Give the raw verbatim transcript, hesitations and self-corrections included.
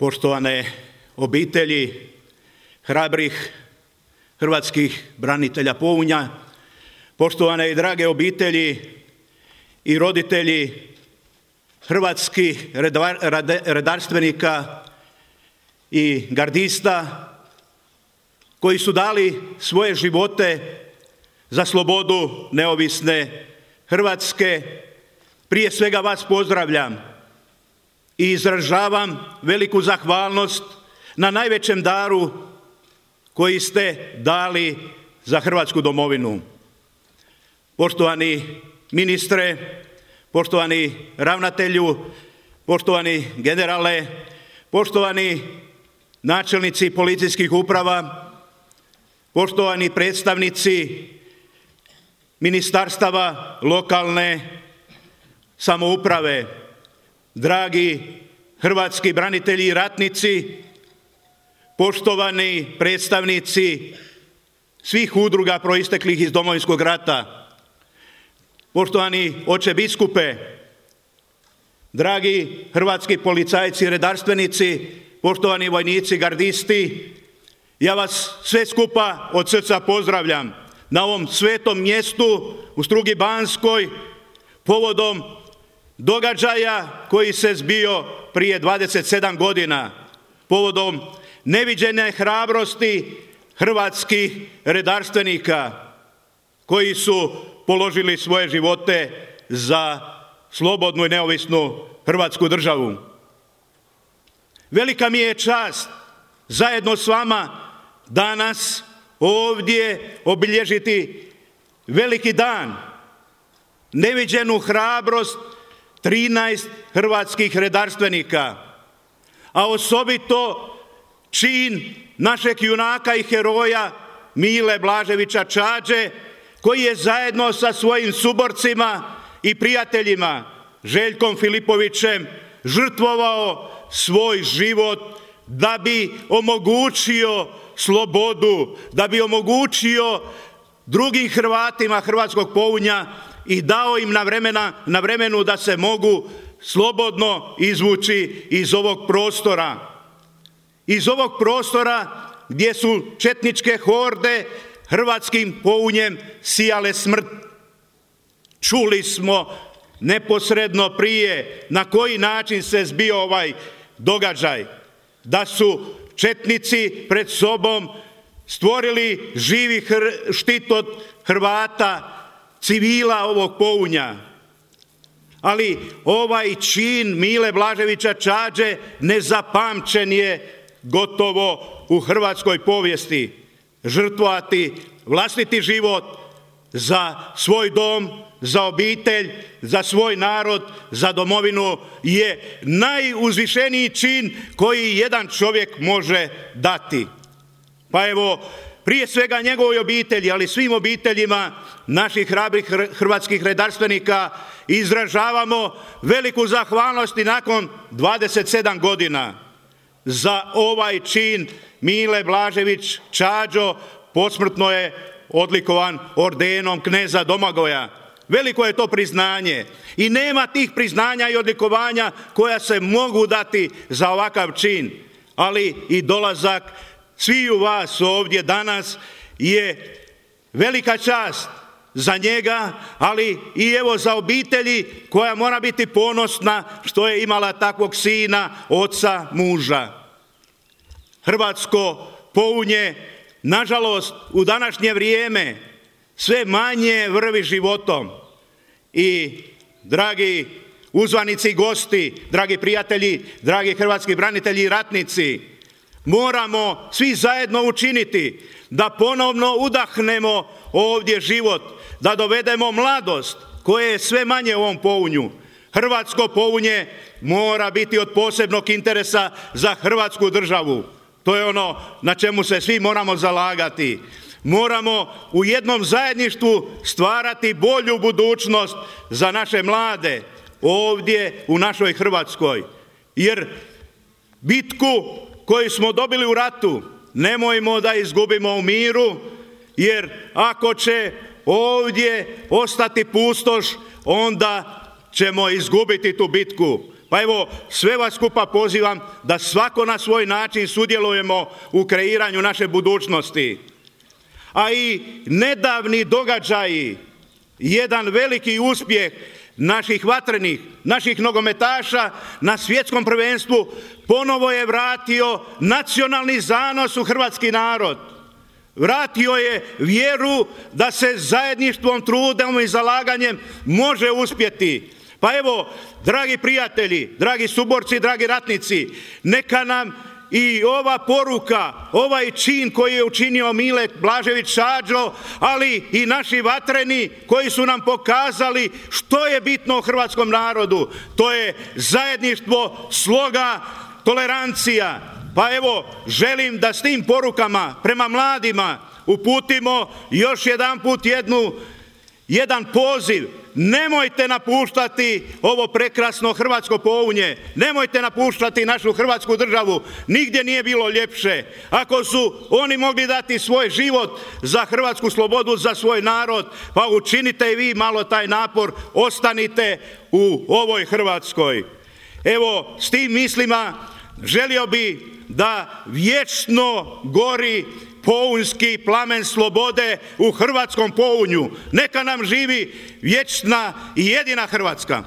Poštovane obitelji hrabrih hrvatskih branitelja Pounja, poštovane i drage obitelji i roditelji hrvatskih redarstvenika i gardista koji su dali svoje živote za slobodu neovisne Hrvatske, prije svega vas pozdravljam i izražavam veliku zahvalnost na najvećem daru koji ste dali za Hrvatsku domovinu. Poštovani ministre, poštovani ravnatelju, poštovani generale, poštovani načelnici policijskih uprava, poštovani predstavnici ministarstava lokalne samouprave, dragi hrvatski branitelji i ratnici, poštovani predstavnici svih udruga proisteklih iz Domovinskog rata, poštovani oče biskupe, dragi hrvatski policajci i redarstvenici, poštovani vojnici, gardisti, ja vas sve skupa od srca pozdravljam na ovom svetom mjestu u Strugi Banskoj povodom događaja koji se zbio prije dvadeset sedam godina, povodom neviđene hrabrosti hrvatskih redarstvenika koji su položili svoje živote za slobodnu i neovisnu Hrvatsku državu. Velika mi je čast zajedno s vama danas ovdje obilježiti veliki dan, neviđenu hrabrost trinaest hrvatskih redarstvenika, a osobito čin našeg junaka i heroja Mile Blaževića Čađe, koji je zajedno sa svojim suborcima i prijateljima Željkom Filipovićem žrtvovao svoj život da bi omogućio slobodu, da bi omogućio drugim Hrvatima hrvatskog Pounja i dao im na, vremena, na vremenu da se mogu slobodno izvući iz ovog prostora. Iz ovog prostora gdje su četničke horde hrvatskim Pounjem sijale smrt. Čuli smo neposredno prije na koji način se zbio ovaj događaj. Da su četnici pred sobom stvorili živi hr- štit od Hrvata, civila ovog Pounja. Ali ovaj čin Mile Blaževića Čađe nezapamćen je gotovo u hrvatskoj povijesti. Žrtvovati vlastiti život za svoj dom, za obitelj, za svoj narod, za domovinu je najuzvišeniji čin koji jedan čovjek može dati. Pa evo, prije svega njegovoj obitelji, ali svim obiteljima naših hrabrih hrvatskih redarstvenika izražavamo veliku zahvalnost i nakon dvadeset sedam godina za ovaj čin. Mile Blažević Čađo posmrtno je odlikovan ordenom kneza Domagoja. Veliko je to priznanje i nema tih priznanja i odlikovanja koja se mogu dati za ovakav čin, ali i dolazak sviju vas ovdje danas je velika čast za njega, ali i evo za obitelji koja mora biti ponosna što je imala takvog sina, oca, muža. Hrvatsko Pounje, nažalost, u današnje vrijeme sve manje vrvi životom. I, dragi uzvanici i gosti, dragi prijatelji, dragi hrvatski branitelji i ratnici, moramo svi zajedno učiniti da ponovno udahnemo ovdje život, da dovedemo mladost koje je sve manje u ovom Pounju. Hrvatsko Pounje mora biti od posebnog interesa za Hrvatsku državu. To je ono na čemu se svi moramo zalagati. Moramo u jednom zajedništvu stvarati bolju budućnost za naše mlade ovdje u našoj Hrvatskoj. Jer bitku koju smo dobili u ratu nemojmo da izgubimo u miru, jer ako će ovdje ostati pustoš, onda ćemo izgubiti tu bitku. Pa evo, sve vas skupa pozivam da svako na svoj način sudjelujemo u kreiranju naše budućnosti. A i nedavni događaji, jedan veliki uspjeh naših vatrenih, naših nogometaša na svjetskom prvenstvu ponovo je vratio nacionalni zanos u hrvatski narod. Vratio je vjeru da se zajedništvom, trudom i zalaganjem može uspjeti. Pa evo, dragi prijatelji, dragi suborci, dragi ratnici, neka nam i ova poruka, ovaj čin koji je učinio Mile Blažević Šađo, ali i naši vatreni koji su nam pokazali što je bitno u hrvatskom narodu. To je zajedništvo, sloga, tolerancija. Pa evo, želim da s tim porukama prema mladima uputimo još jedan put jednu, jedan poziv. Nemojte napuštati ovo prekrasno hrvatsko Pounje, nemojte napuštati našu hrvatsku državu, nigdje nije bilo ljepše. Ako su oni mogli dati svoj život za hrvatsku slobodu, za svoj narod, pa učinite i vi malo taj napor, ostanite u ovoj Hrvatskoj. Evo, s tim mislima želio bi da vječno gori pounjski plamen slobode u hrvatskom Pounju. Neka nam živi vječna i jedina Hrvatska.